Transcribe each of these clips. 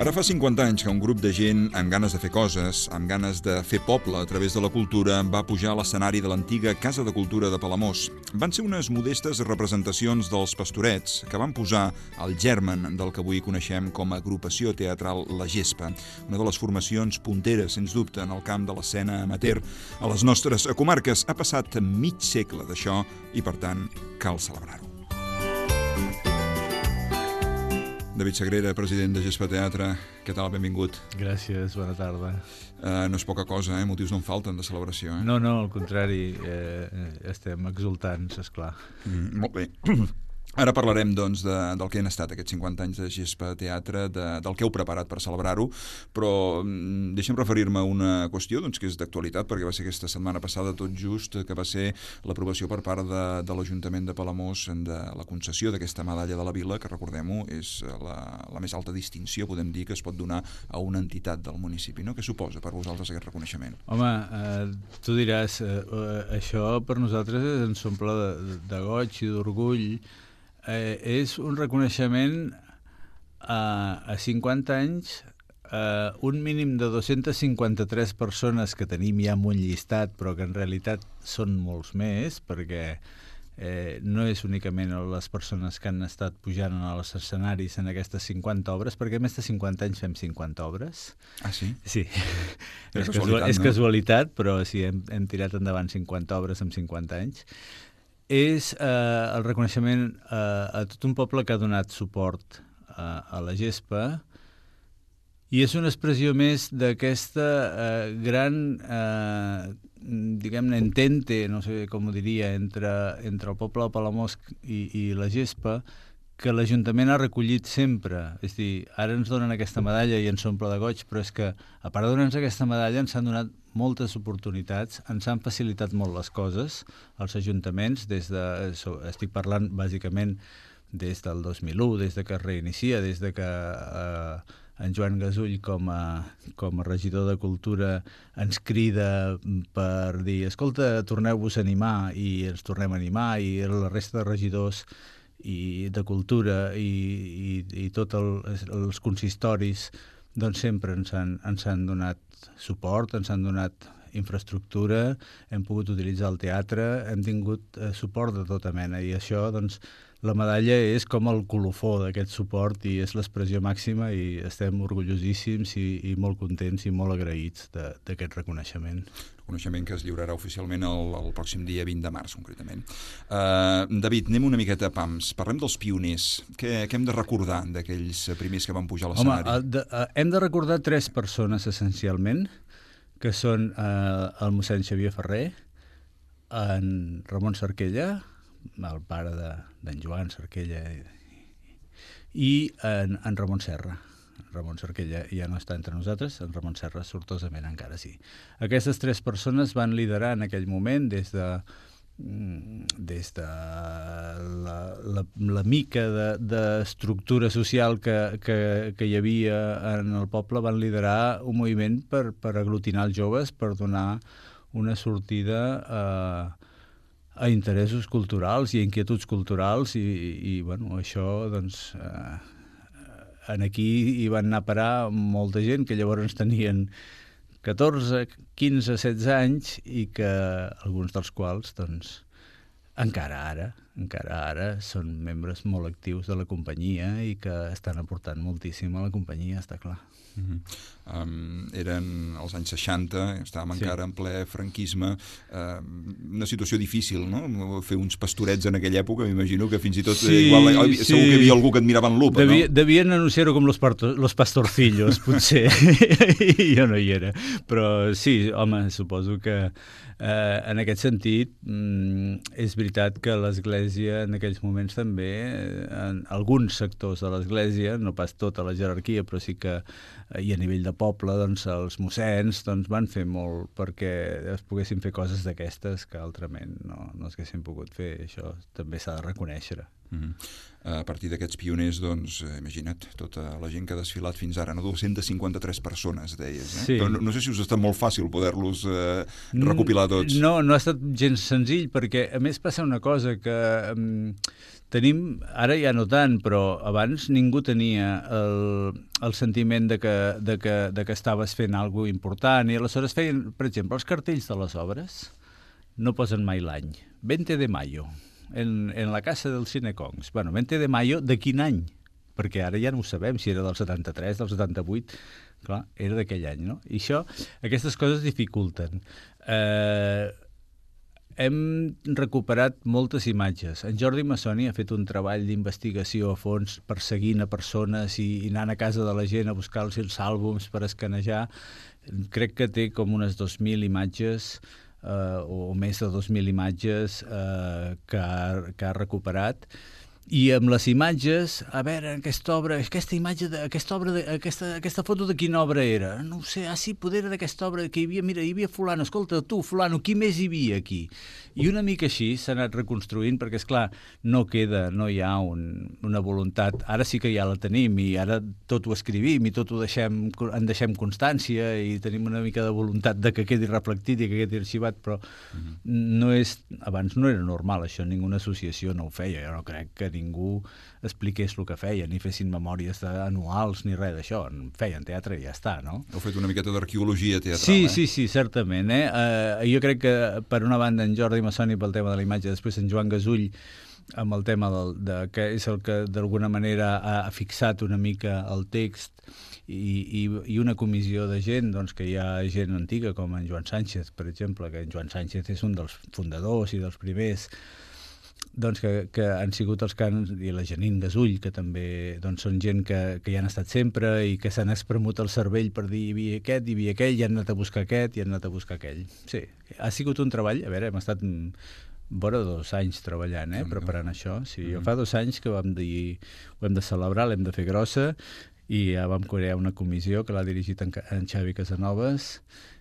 Ara fa 50 anys que un grup de gent amb ganes de fer coses, amb ganes de fer poble a través de la cultura, va pujar a l'escenari de l'antiga Casa de Cultura de Palamós. Van ser unes modestes representacions dels Pastorets que van posar el germen del que avui coneixem com a agrupació teatral La Gespa, una de les formacions punteres, sens dubte, en el camp de l'escena amateur a les nostres comarques. Ha passat mig segle d'això i, per tant, cal celebrar-ho. David Sagrera, president de Gespa Teatre, què tal? Benvingut. Gràcies, bona tarda. No és poca cosa, motius no en falten de celebració. No, al contrari, estem exultants, esclar. Molt bé. Ara parlarem, doncs, del que han estat aquests 50 anys de Gespa Teatre, del que heu preparat per celebrar-ho, però deixa'm referir-me a una qüestió doncs, que és d'actualitat, perquè va ser aquesta setmana passada tot just que va ser l'aprovació per part de l'Ajuntament de Palamós de la concessió d'aquesta medalla de la Vila, que, recordem-ho, és la més alta distinció, podem dir, que es pot donar a una entitat del municipi. No? Què suposa per vosaltres aquest reconeixement? Home, tu diràs, això per nosaltres ens omple de goig i d'orgull. És un reconeixement a 50 anys, un mínim de 253 persones que tenim ja en un llistat, però que en realitat són molts més, perquè no és únicament les persones que han estat pujant als escenaris en aquestes 50 obres, perquè a més de 50 anys fem 50 obres. Ah, sí? Sí. És casualitat, però sí, hem tirat endavant 50 obres en 50 anys. És el reconeixement a tot un poble que ha donat suport a la Gespa, i és una expressió més d'aquesta gran, diguem-ne, entente, no sé com ho diria, entre el poble de Palamós i la Gespa, que l'Ajuntament ha recollit sempre. És a dir, ara ens donen aquesta medalla i ens omple de goig, però és que, a part de donar-nos aquesta medalla, ens han donat moltes oportunitats, ens han facilitat molt les coses, els ajuntaments, estic parlant bàsicament des del 2001, des de que es reinicia, des de que en Joan Gasull com a regidor de Cultura ens crida per dir, escolta, torneu-vos a animar, i ens tornem a animar, i la resta de regidors i de Cultura i tots els consistoris doncs sempre ens han donat suport, ens han donat infraestructura, hem pogut utilitzar el teatre, hem tingut suport de tota mena, i això, doncs, la medalla és com el colofó d'aquest suport i és l'expressió màxima, i estem orgullosíssims i molt contents i molt agraïts d'aquest reconeixement. Reconeixement que es lliurarà oficialment el pròxim dia 20 de març, concretament. David, anem una miqueta a pams. Parlem dels pioners. Què hem de recordar d'aquells primers que van pujar a l'escenari? Home, hem de recordar 3 persones, essencialment, que són el mossèn Xavier Ferrer, en Ramon Cerquella, el pare d'en Joan Cerquella, i en Ramon Serra. Ramon Cerquella ja no està entre nosaltres, en Ramon Serra sortosament encara sí. Aquestes 3 persones van liderar en aquell moment des de la mica d'estructura social que hi havia en el poble, van liderar un moviment per aglutinar els joves, per donar una sortida a interessos culturals i a inquietuds culturals, i bueno, això, doncs, aquí hi van anar a parar molta gent que llavors tenien 14, 15, 16 anys, i que alguns dels quals, doncs, encara ara són membres molt actius de la companyia i que estan aportant moltíssim a la companyia, està clar. Eren els anys 60, estàvem encara en ple franquisme, una situació difícil, no? Fer uns pastorets en aquella època, m'imagino que fins i tot segur que hi havia algú que et mirava en lupa, no? Devien anunciar-ho com los pastorcillos, potser, i jo no hi era, però sí, home, suposo que en aquest sentit és veritat que l'Església en aquells moments també, en alguns sectors de l'Església, no pas tota la jerarquia, però sí que i a nivell de poble, doncs, els mossens van fer molt perquè es poguessin fer coses d'aquestes que altrament no es haguessin pogut fer. Això també s'ha de reconèixer. A partir d'aquests pioners, doncs, imagina't, tota la gent que ha desfilat fins ara, no? 253 persones, deies, eh? Sí. Però no sé si us ha estat molt fàcil poder-los recopilar tots. No ha estat gens senzill, perquè a més passa una cosa que tenim, ara ja no tant, però abans ningú tenia el sentiment de que estaves fent alguna cosa important, i aleshores feien, per exemple, els cartells de les obres no posen mai l'any. 20 de mayo. En la casa del Cinecongs. Bueno, 20 de mayo, de quin any? Perquè ara ja no ho sabem, si era del 73, del 78... Clar, era d'aquell any, no? I aquestes coses dificulten. Hem recuperat moltes imatges. En Jordi Massoni ha fet un treball d'investigació a fons, perseguint a persones i anant a casa de la gent a buscar-los els àlbums per escanejar. Crec que té com unes 2.000 imatges o més de 2.000 imatges que ha recuperat, i amb les imatges, a veure, aquesta foto de quina obra era? No ho sé, sí, poder era d'aquesta obra, que hi havia fulano, escolta, tu, fulano, qui més hi havia aquí? I una mica així s'ha anat reconstruint, perquè, esclar, no hi ha una voluntat, ara sí que ja la tenim, i ara tot ho escrivim, i tot en deixem constància, i tenim una mica de voluntat de que quedi reflectit i que quedi arxivat, però abans no era normal això, ninguna associació no ho feia, jo no crec que ningú expliqués el que feia, ni fessin memòries anuals ni res d'això, feien teatre i ja està, no? Heu fet una miqueta d'arqueologia teatral, Sí, certament. Jo crec que, per una banda, en Jordi Massoni pel tema de la imatge, després en Joan Gasull amb el tema que és el que d'alguna manera ha fixat una mica el text, i una comissió de gent, doncs, que hi ha gent antiga, com en Joan Sánchez, per exemple, que en Joan Sánchez és un dels fundadors i dels primers, doncs, que han sigut els cants, i la Janine Gasull, que també doncs, són gent que hi han estat sempre i que s'han espremut el cervell per dir hi havia aquest, hi havia aquell, i han anat a buscar aquest, i han anat a buscar aquell. Sí, ha sigut un treball, a veure, hem estat vora 2 anys treballant, preparant això. Sí, jo fa 2 anys que vam dir ho hem de celebrar, l'hem de fer grossa, i ja vam crear una comissió que l'ha dirigit en Xavi Casanovas,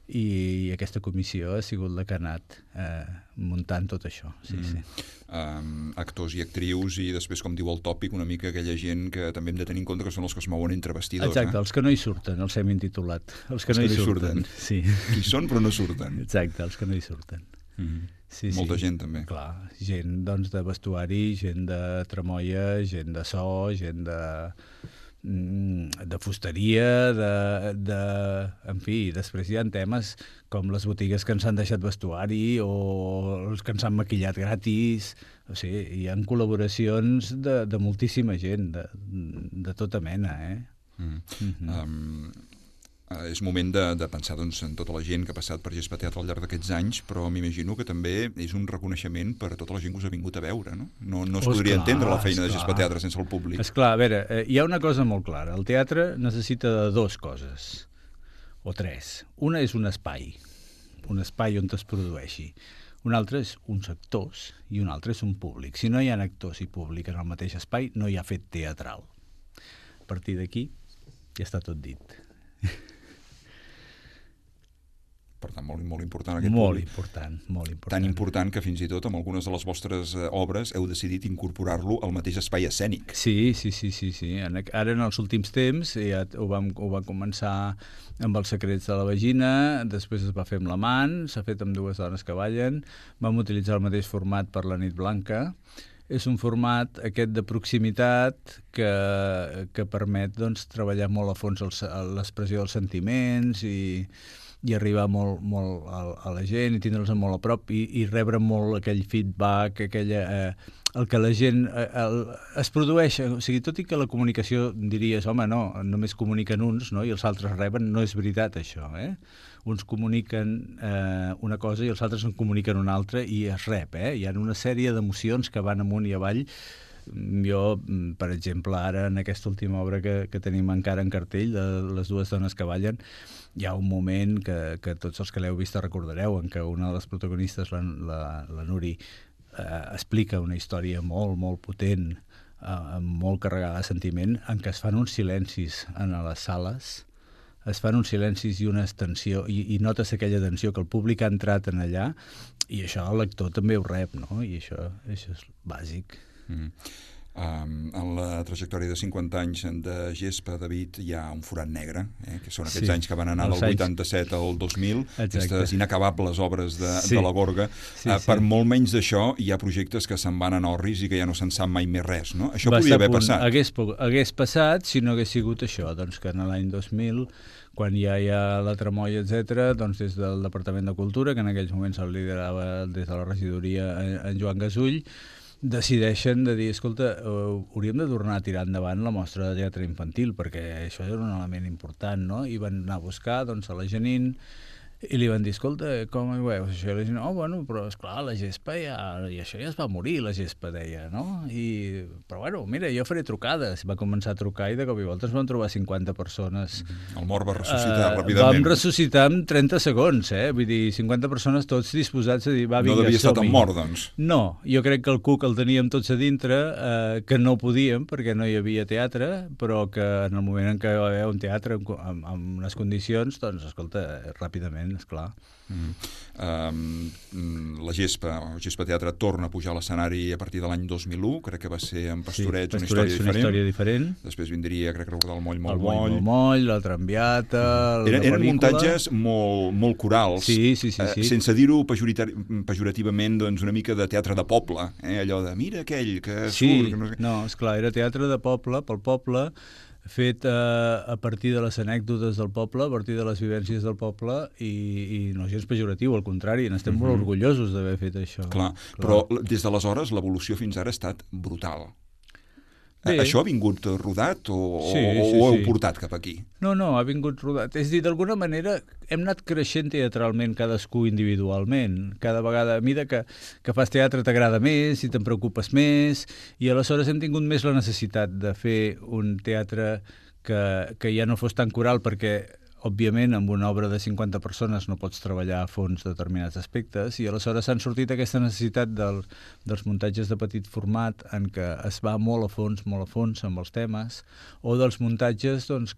i aquesta comissió ha sigut la que ha anat muntant tot això. Sí. Actors i actrius, i després, com diu el tòpic, una mica aquella gent que també hem de tenir en compte que són els que es mouen entre vestidors. Exacte, els que no hi surten, els hem intitulat. Els que no hi surten. Sí. Qui són però no surten. Exacte, els que no hi surten. Sí, molta gent també. Clar, gent doncs, de vestuari, gent de tramoia, gent de so, gent de fusteria, en fi, després hi ha temes com les botigues que ens han deixat vestuari o els que ens han maquillat gratis. O sigui, hi ha col·laboracions de moltíssima gent, de tota mena, És moment de pensar doncs, en tota la gent que ha passat per Gespa Teatre al llarg d'aquests anys, però m'imagino que també és un reconeixement per a tota la gent que us ha vingut a veure, no? No es podria entendre la feina de Gespa Teatre sense el públic. Esclar, a veure, hi ha una cosa molt clara. El teatre necessita de 2 coses, o 3. Una és un espai on es produeixi. Un altre és uns actors i un altre és un públic. Si no hi ha actors i públic en el mateix espai, no hi ha fet teatral. A partir d'aquí ja està tot dit. Per tant, molt important aquest públic. Molt important. Tan important que fins i tot amb algunes de les vostres obres heu decidit incorporar-lo al mateix espai escènic. Sí. Ara, en els últims temps, ja ho vam començar amb Els secrets de la vagina, després es va fer amb l'amant, s'ha fet amb Dues dones que ballen, vam utilitzar el mateix format per La nit blanca. És un format aquest de proximitat que permet doncs, treballar molt a fons l'expressió dels sentiments i arribar molt a la gent i tindre'ls molt a prop i rebre molt aquell feedback, el que la gent es produeix. O sigui, tot i que la comunicació diries, home, no, només comuniquen uns, no? I els altres reben, no és veritat això, Uns comuniquen una cosa i els altres en comuniquen una altra i es rep, Hi ha una sèrie d'emocions que van amunt i avall. Jo, per exemple, ara en aquesta última obra que tenim encara en cartell, de Les dues dones que ballen, hi ha un moment que tots els que l'heu vist recordareu, en què una de les protagonistes, la Nuri, explica una història molt potent, molt carregada de sentiment, en què es fan uns silencis en les sales, es fan uns silencis i una tensió, i notes aquella tensió que el públic ha entrat en allà, i això el lector també ho rep, no? I això és bàsic. En la trajectòria de 50 anys de gespa, David, hi ha un forat negre, que són aquests anys que van anar del 87 al 2000, aquestes inacabables obres de la Gorga. Per molt menys d'això, hi ha projectes que se'n van anar al risc i que ja no se'n sap mai més res, no? Això podria haver passat. Hagués passat si no hagués sigut això, doncs que en l'any 2000, quan ja hi ha la tramoia, etc., doncs des del Departament de Cultura, que en aquells moments el liderava des de la regidoria en Joan Gasull, decideixen de dir, escolta, hauríem de tornar a tirar endavant la mostra de teatre infantil, perquè això era un element important, no? I van anar a buscar doncs, a la Janine, i li van dir, escolta, com ho veus? Això, la gent, bueno, però esclar, la gespa i això ja es va morir, la gespa, deia, no? Però bueno, mira, jo faré trucades. Va començar a trucar i de cop i volta es van trobar 50 persones. El mort va ressuscitar ràpidament. Vam ressuscitar en 30 segons, Vull dir, 50 persones tots disposats a dir, va, vinga, no devia estar tan mort, doncs. No, jo crec que el cuc el teníem tots a dintre, que no podíem perquè no hi havia teatre, però que en el moment en què hi va haver un teatre amb unes condicions, doncs, escolta, ràpidament, esclar. La Gespa Teatre torna a pujar a l'escenari a partir de l'any 2001, crec que va ser en Pastorets, una història diferent. Després vindria, crec que recordar el Moll, Moll, la Trambiata, eren muntatges molt corals, sense dir-ho pejorativament, doncs una mica de teatre de poble, allò de mira aquell que surt... No, esclar, era teatre de poble, pel poble, fet a partir de les anècdotes del poble, a partir de les vivències del poble i no gens pejoratiu, al contrari, n'estem molt orgullosos d'haver fet això. Clar, però des d'aleshores l'evolució fins ara ha estat brutal. Això ha vingut rodat o ho heu portat cap aquí? No, ha vingut rodat. És a dir, d'alguna manera hem anat creixent teatralment cadascú individualment. Cada vegada, a mesura que fas teatre t'agrada més i te'n preocupes més, i aleshores hem tingut més la necessitat de fer un teatre que ja no fos tan coral, perquè òbviament, amb una obra de 50 persones no pots treballar a fons determinats aspectes, i aleshores s'han sortit aquesta necessitat dels muntatges de petit format en què es va molt a fons amb els temes, o dels muntatges doncs,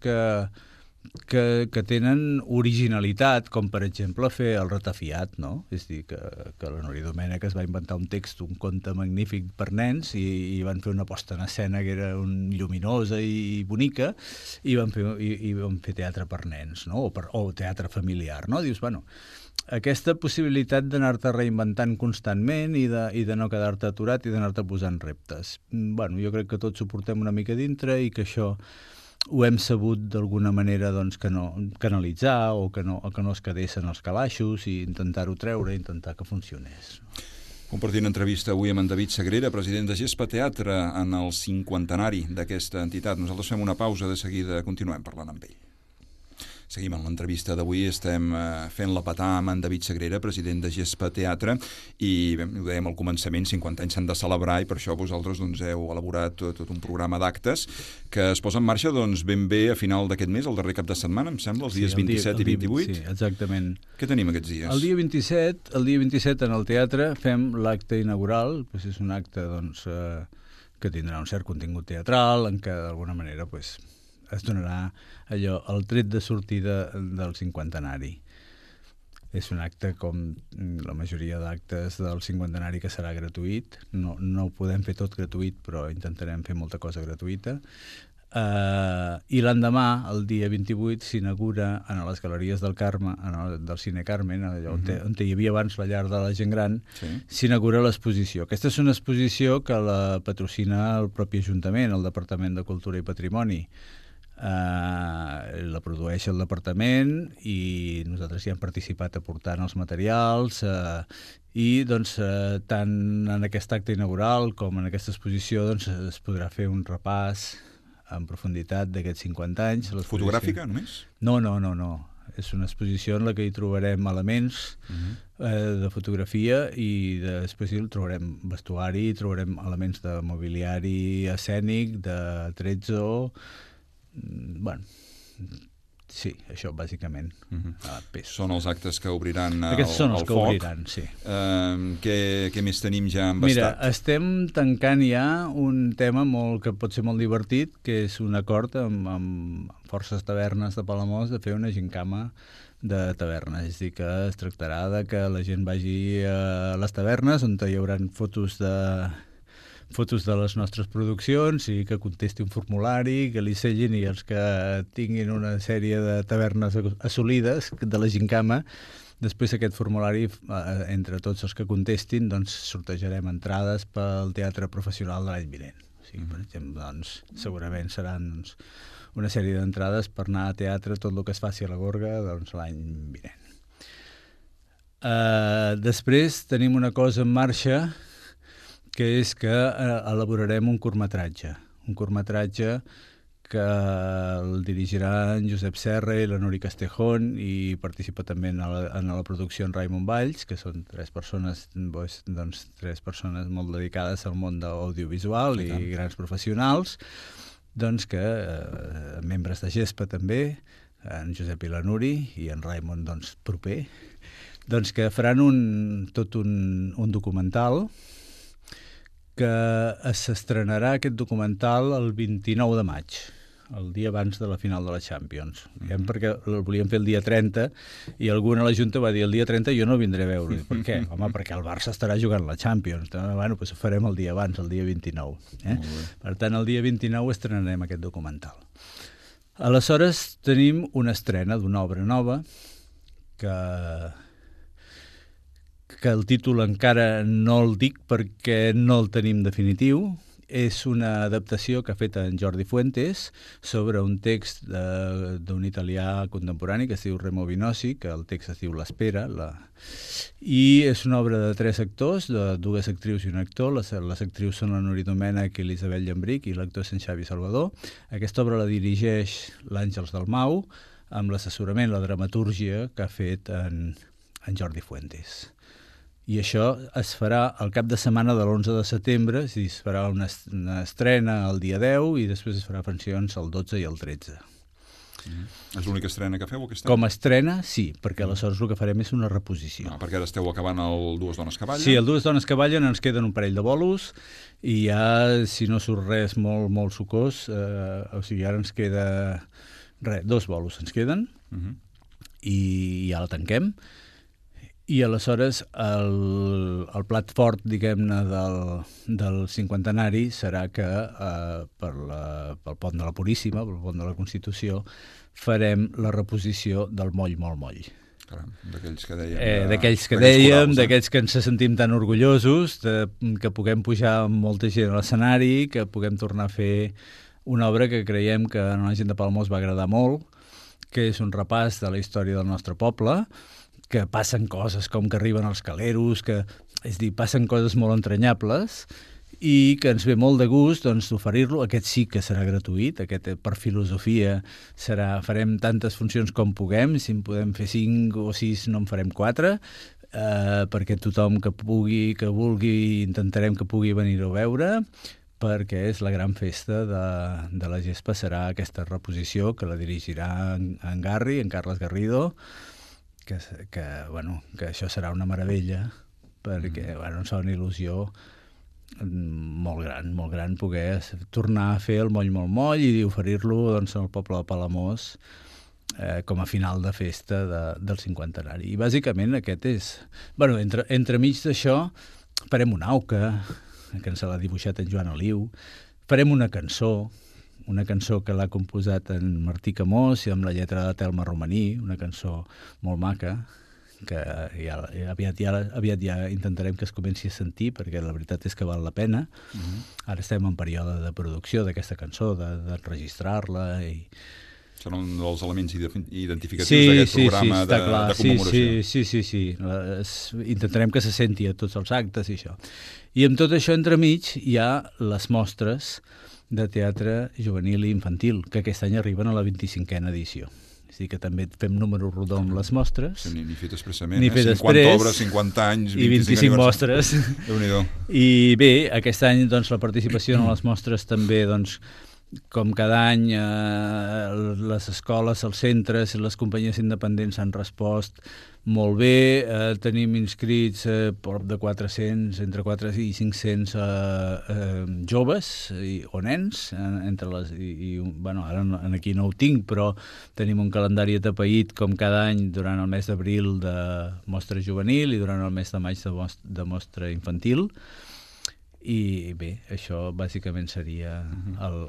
que tenen originalitat, com per exemple fer el Ratafiat, no? És a dir, que la Núria Domènech es va inventar un text, un conte magnífic per nens, i van fer una posta en escena que era lluminosa i bonica, i van fer teatre per nens, no? O teatre familiar, no? Dius, bueno, aquesta possibilitat d'anar-te reinventant constantment i de no quedar-te aturat i d'anar-te posant reptes. Bueno, jo crec que tots ho portem una mica dintre i que això ho hem sabut d'alguna manera doncs, canalitzar o que no es quedessin els calaixos i intentar-ho treure, intentar que funcionés. Compartint entrevista avui amb en David Sagrera, president de Gespa Teatre, en el 50enari d'aquesta entitat. Nosaltres fem una pausa, de seguida continuem parlant amb ell. Seguim en l'entrevista d'avui, estem fent la petar amb en David Sagrera, president de Gespa Teatre, i ho dèiem al començament, 50 anys s'han de celebrar i per això vosaltres heu elaborat tot un programa d'actes que es posa en marxa ben bé a final d'aquest mes, el darrer cap de setmana, em sembla, els dies 27 i 28. Sí, exactament. Què tenim aquests dies? El dia 27 en el teatre fem l'acte inaugural, és un acte que tindrà un cert contingut teatral, en què d'alguna manera es donarà allò, el tret de sortida del 50enari. És un acte com la majoria d'actes del 50enari que serà gratuït. No ho podem fer tot gratuït, però intentarem fer molta cosa gratuïta. I l'endemà, el dia 28, s'inaugura en les Galeries del Carme, del Cine Carmen, on hi havia abans la llar de la gent gran, s'inaugura l'exposició. Aquesta és una exposició que la patrocina el propi Ajuntament, el Departament de Cultura i Patrimoni. La produeix el departament i nosaltres hi hem participat aportant els materials i tant en aquest acte inaugural com en aquesta exposició es podrà fer un repàs en profunditat d'aquests 50 anys. Fotogràfica només? No. És una exposició en la que hi trobarem elements de fotografia i després hi trobarem vestuari, trobarem elements de mobiliari escènic, de trezzo. Bueno, sí, això bàsicament. Són els actes que obriran el foc. Aquests són els que obriran, sí. Què més tenim ja embastat? Mira, estem tancant ja un tema que pot ser molt divertit, que és un acord amb Forces Tavernes de Palamós de fer una gincama de tavernes. És a dir, que es tractarà de que la gent vagi a les tavernes on hi haurà fotos fotos de les nostres produccions i que contesti un formulari, que li sellin, i els que tinguin una sèrie de tavernes assolides de la Gincama, després aquest formulari, entre tots els que contestin, doncs sortejarem entrades pel teatre professional de l'any vinent. O sigui, per exemple, doncs, segurament seran una sèrie d'entrades per anar a teatre, tot el que es faci a la Gorga, doncs, l'any vinent. Després tenim una cosa en marxa, que és que elaborarem un curtmetratge que el dirigirà en Josep Serra i la Nuri Castejón, i participa també en la producció en Raimon Valls, que són tres persones molt dedicades al món audiovisual i grans professionals, doncs que membres de GESPA també, en Josep i la Nuri, i en Raimon doncs, proper, doncs que faran tot un documental que s'estrenarà aquest documental el 29 de maig, el dia abans de la final de la Champions. Perquè el volíem fer el dia 30 i algú a la Junta va dir el dia 30 jo no vindré a veure. Per què? Home, perquè el Barça estarà jugant la Champions. Bueno, doncs ho farem el dia abans, el dia 29. Per tant, el dia 29 estrenarem aquest documental. Aleshores, tenim una estrena d'una obra nova que el títol encara no el dic perquè no el tenim definitiu. És una adaptació que ha fet en Jordi Fuentes sobre un text d'un italià contemporani que es diu Remo Vinosi, que el text es diu L'Espera, i és una obra de 3 actors, de 2 actrius i un actor. Les actrius són la Nuri Domènech i l'Isabel Llambric, i l'actor és en Xavi Salvador. Aquesta obra la dirigeix l'Àngels Dalmau, amb l'assessorament, la dramatúrgia que ha fet en Jordi Fuentes. I això es farà el cap de setmana de l'11 de setembre, és a dir, es farà una estrena el dia 10 i després es farà funcions el 12 i el 13. És l'única estrena que feu aquest any? Com a estrena, sí, perquè aleshores el que farem és una reposició. Perquè ara esteu acabant el Dues dones que ballen? Sí, el Dues dones que ballen, ens queden un parell de bolos i ja, si no surt res molt, molt sucós, o sigui, ara ens queda 2 bolos ens queden i ja la tanquem. I aleshores el plat fort, diguem-ne, del cinquantenari serà que pel pont de la Puríssima, pel pont de la Constitució, farem la reposició del Moll, molt moll. Caram, d'aquells que dèiem. D'aquells que ens sentim tan orgullosos, que puguem pujar amb molta gent a l'escenari, que puguem tornar a fer una obra que creiem que a la gent de Palamós va agradar molt, que és un repàs de la història del nostre poble, que passen coses com que arriben els caleros, és dir, passen coses molt entranyables i que ens ve molt de gust oferir-lo. Aquest sí que serà gratuït, aquest per filosofia farem tantes funcions com puguem, si en podem fer 5 o 6 no en farem 4, perquè tothom que pugui, que vulgui, intentarem que pugui venir-ho a veure, perquè és la gran festa de la GESPA, serà aquesta reposició que la dirigirà en Garri, en Carles Garrido, que això serà una meravella, perquè ens fa una il·lusió molt gran poder tornar a fer el Moll molt moll i oferir-lo al poble de Palamós com a final de festa del cinquantenari. I bàsicament aquest és... Entremig d'això farem una auca, que ens l'ha dibuixat en Joan Aliu, farem una cançó que l'ha composat en Martí Camós i amb la lletra de Telma Romaní, una cançó molt maca, que aviat ja intentarem que es comenci a sentir, perquè la veritat és que val la pena. Ara estem en període de producció d'aquesta cançó, d'enregistrar-la i... Serà un dels elements identificatius d'aquest programa de commemoració. Sí. Intentarem que se senti a tots els actes i això. I amb tot això entremig hi ha les mostres de teatre juvenil i infantil, que aquest any arriben a la 25a edició. És a dir, que també fem número rodó amb les mostres. Sí, ni fet expressament, 50 obres, 50 anys, 25 mostres. Déu-n'hi-do. I bé, aquest any la participació en les mostres també, com cada any, les escoles, els centres i les companyies independents han respost molt bé. Tenim inscrits prop de 400, entre 400 i 500 joves o nens. Ara aquí no ho tinc, però tenim un calendari atapeït com cada any durant el mes d'abril de mostra juvenil i durant el mes de maig de mostra infantil. I bé, això bàsicament seria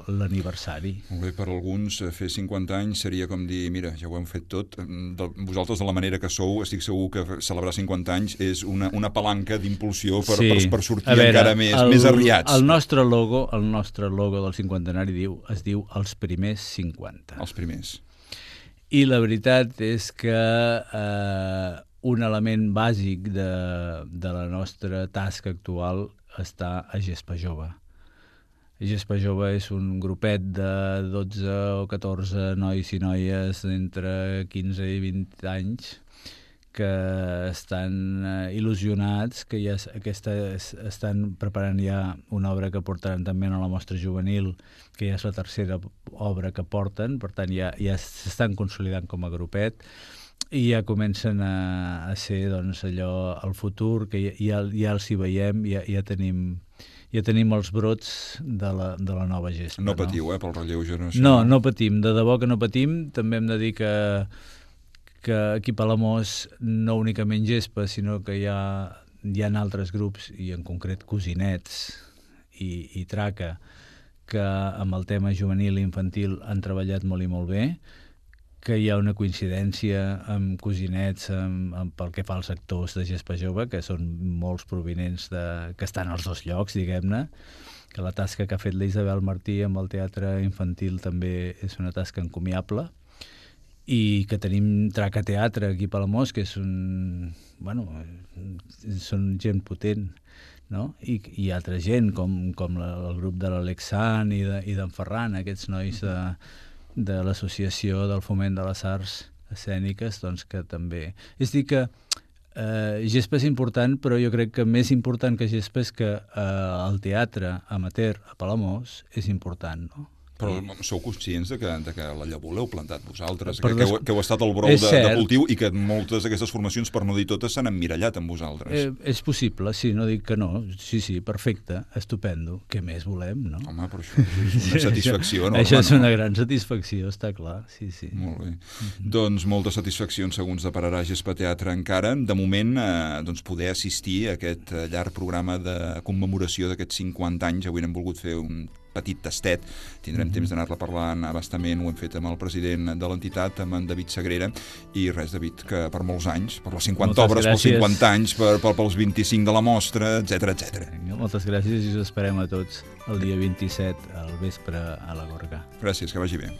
l'aniversari. Molt bé, per alguns fer 50 anys seria com dir, mira, ja ho hem fet tot, vosaltres de la manera que sou, estic segur que celebrar 50 anys és una palanca d'impulsió per sortir encara més arriats. El nostre logo del cinquantenari es diu Els primers 50. Els primers. I la veritat és que un element bàsic de la nostra tasca actual està a Gespa Jove. Gespa Jove és un grupet de 12 o 14 nois i noies d'entre 15 i 20 anys que estan il·lusionats, que ja estan preparant ja una obra que portaran també a la mostra juvenil, que ja és la tercera obra que porten, per tant ja s'estan consolidant com a grupet, i ja comencen a ser doncs, allò, el futur, que ja els hi veiem, ja tenim els brots de la nova gespa. No patiu, pel relleu generacional. No patim, de debò que no patim. També hem de dir que aquí a Palamós no únicament gespa, sinó que hi ha altres grups, i en concret Cosinets i Traca, que amb el tema juvenil i infantil han treballat molt i molt bé, que hi ha una coincidència amb Cosinets pel que fa als actors de Gespa Jove, que són molts provinents que estan als dos llocs, diguem-ne, que la tasca que ha fet la Isabel Martí amb el teatre infantil també és una tasca encomiable, i que tenim Traca Teatre aquí a Palamós, que és són gent potent, no? I altra gent, com el grup de l'Alexan i d'en Ferran, aquests nois de l'Associació del Foment de les Arts Escèniques, doncs que també... És a dir que Gespa és important, però jo crec que més important que Gespa és que el teatre amateur a Palamós és important, no? Però sou conscients de que la llavor l'heu plantat vosaltres, que heu estat al brou de cultiu, i que moltes d'aquestes formacions, per no dir totes, s'han emmirallat amb vosaltres. És possible, sí, no dic que no. Sí, perfecte, estupendo. Què més volem, no? Home, però això és una satisfacció enorme. Això és una gran satisfacció, està clar, sí. Molt bé. Doncs moltes satisfaccions segons depararà Gespa Teatre encara. De moment, poder assistir a aquest llarg programa de commemoració d'aquests 50 anys. Avui n'hem volgut fer un petit tastet, tindrem temps d'anar-la parlant abastament, ho hem fet amb el president de l'entitat, amb en David Sagrera, i res, David, que per molts anys, per les 50 obres, pels 50 anys, pels 25 de la mostra, etc. Moltes gràcies, i us esperem a tots el dia 27 al vespre a la Gorga. Gràcies, que vagi bé.